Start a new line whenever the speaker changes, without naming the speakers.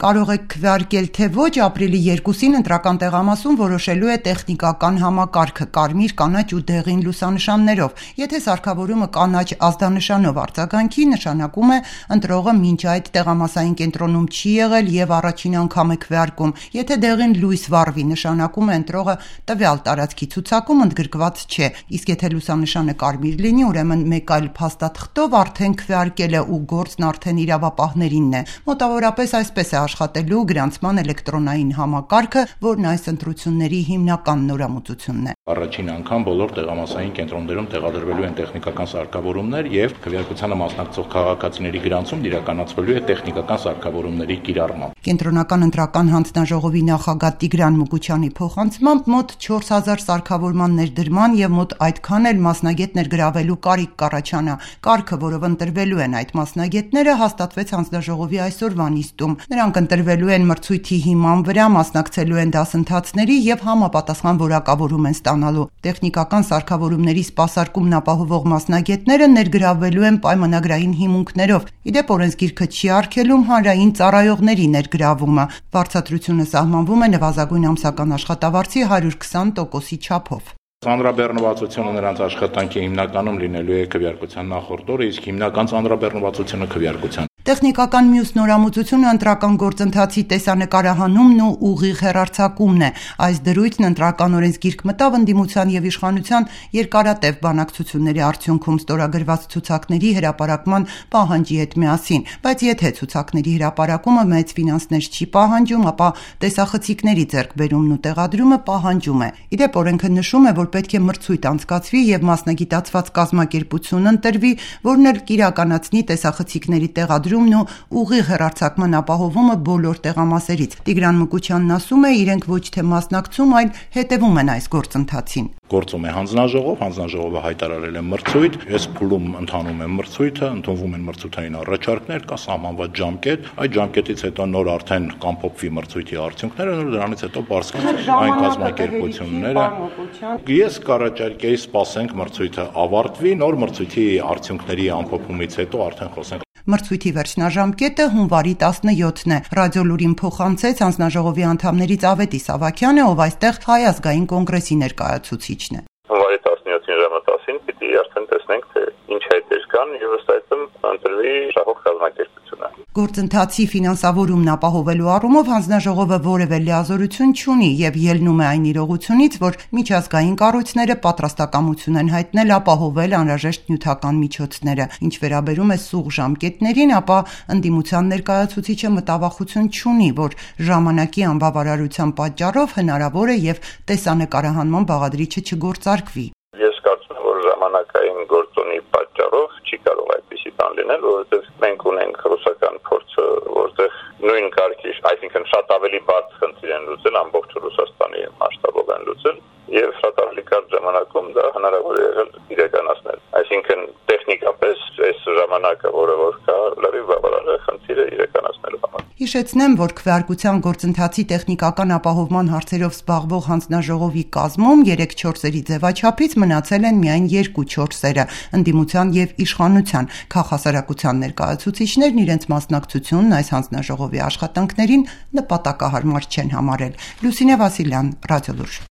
Կարող եք քվեարկել թե ոչ, ապրիլի 2-ին ընտրական տեղամասում որոշելու է տեխնիկական համակարգը կարմիր, կանաչ ու դեղին լուսանշաններով։ Եթե սարքավորումը կանաչ ազդանշանով արձագանքի, նշանակում է ընտրողը մինչ այդ տեղամասային կենտրոնում չի եղել եւ առաջին անգամ է քվեարկում։ Եթե դեղին լույս վառվի, նշանակում է ընտրողը տվյալ տարածքի ցուցակում ընդգրկված չէ։ Իսկ եթե լուսանշանը կարմիր լինի, ուրեմն մեկ այլ փաստաթղթով արդեն քվեարկել է ու գործն արդեն իրավապահներինն է։ Մոտավորապես այսպես է աշխատելու գրանցման էլեկտրոնային համակարգը, որն այս ընտրությունների հիմնական նորամուծությունն է։
Առաջին անգամ բոլոր տեղամասային կենտրոններում տեղադրվելու են տեխնիկական սարքավորումներ եւ քվեարկությանը մասնակցող քաղաքացիների գրանցումն իրականացվելու է տեխնիկական սարքավորումների կիրառմամբ։
Կենտրոնական ընտրական հանձնաժողովի նախագահ Տիգրան Մուկուչյանի փոխանցմամբ մոտ 4000 սարքավորման ներդրման եւ մոտ այդքան էլ մասնագետ ներգրավելու կարիք կառաջանա։ Կարգը, որով ընտրվելու են այդ մասնագետները, հաստատվեց հանձնաժողովի այսօրվա նիստում։ Նրանք ընտրվելու են մրցույթի հիման վրա, մասնակցելու են դասընթացների եւ համապատասխան որակավորում են ստանալու։ Տեխնիկական սարքավորումների սպասարկումն ապահովող մասնագետները ներգրավվելու են պայմանագրային հիմունքներով։ Իդեպ օրենսգիրքը չի արգելում հանրային ծառայողների ներգրավումը։ Վարձատրությունը սահմանվում է նվազագույն ամսական աշխատավարձի 120%-ի չափով։
Ծանրաբեռնվածությունը նրանց աշխատանքի հիմնականում լինելու է քվեարկության նախորդ օրը, իսկ հիմնական ծանրաբեռնվածությունը քվեարկության։
Տեխնիկական մյուս նորամուծությունը ընտրական գործընթացի տեսանկարահանումն ու ուղիղ հեռարձակումն է։ Այս դրույթն ընտրական օրենսգիրք մտավ ընդդիմության եւ իշխանության երկարատև բանակցությունների արդյունքում ստորագրված ցուցակների հրապարակման պահանջի հետ միասին, բայց եթե ցուցակների հրապարակումը մեծ ֆինանսներ չի պահանջում, ապա տեսախցիկների ձեռքբերումն ու տեղադրումը պահանջում է։ Իդեպ օրենքը նշում է, որ պետք է մրցույթ անցկացվի եւ մասնագիտացված կազմակերպություն ընտրվի, որն էլ կիրականացնի տեսախցիկների տեղադրումն ու ուղիղ հեռարձակման ապահովումը բոլոր տեղամասերից։ Տիգրան Մուկուչյանն ասում է, իրենք ոչ թե մասնակցում, այլ հետևում են այս գործընթացին։
Գործում է հանձնաժողովը հայտարարել է մրցույթ, այս փուլում ընթանում է մրցույթը, ընդունվում են մրցութային առաջարկներ, կա սահմանված ժամկետ, այդ ժամկետից հետո նոր արդեն կամփոփվի մրցույթի արդյունքները, նոր դրանից հետո բարձրանալու այն կազմակերպությունները։ Ես կառաջարկեի սպասենք մրցույթը ավարտվի, նոր մրցույթի արդյունքների ամփոփումից հետո արդեն խոսենք։
Մրցույթի վերջնաժամկետը հունվարի 17-ն է։ Ռադիոլուրին փոխանցեց հանձնաժողովի անդամներից Ավետիս Ավագյանը, ով այստեղ Հայ ազգային կոնգրեսի ներկայացուցիչն է։
Հունվարի 17-ին ժամը 10-ին պիտի արդեն տեսնենք, թե ինչ հայտեր կան եւ ըստ այդմ ընտրվի շահող կազմակերպությունը։
Գործընթացի ֆինանսավորումն ապահովելու առումով հանձնաժողովը որևէ լիազորություն չունի եւ ելնում է այն իրողությունից, որ միջազգային կառույցները պատրաստակամություն են հայտնել ապահովել անհրաժեշտ նյութական միջոցները։ Ինչ վերաբերում է սուղ ժամկետներին, ապա ընդդիմության ներկայացուցիչը մտավախություն չունի, որ ժամանակի անբավարարության պատճառով հնարավոր է եւ տեսանկարահանման բաղադրիչը չգործարկվի։
Ես կարծում եմ, որ ժամանակային գործոնի պատճառով չի կարող այդպիսի բան լինել, որովհետեւ մենք ունենք ռուսական փորձը, որտեղ նույն կարգի, այսինքն շատ ավելի բարձ խնդիր են լուծել, ամբողջ Ռուսաստանի մասշտաբով են լուծել եւ շատ ավելի կարճ ժամանակում դա հնարավոր է եղել իրականացնել։ Այսինքն տեխնիկապես այս ժամանակը, որը որ կա, լրիվ բավարար է խնդիրը իրականացնելու համար։
Հիշեցնեմ, որ քվեարկության գործընթացի տեխնիկական ապահովման հարցերով զբաղվող հանձնաժողովի կազմում 3-4-երի ձևաչափից մնացել են միայն 2-4-երը՝ ընդդիմության եւ իշխանության։ Քաղաքասարակության ներկայացուցիչներն իրենց մասնակցությունն այս հանձնաժողովի աշխատանքներին նպատակահարմար չեն համարել։ Լուսինե Վասիլյան, Ռադիոլուր։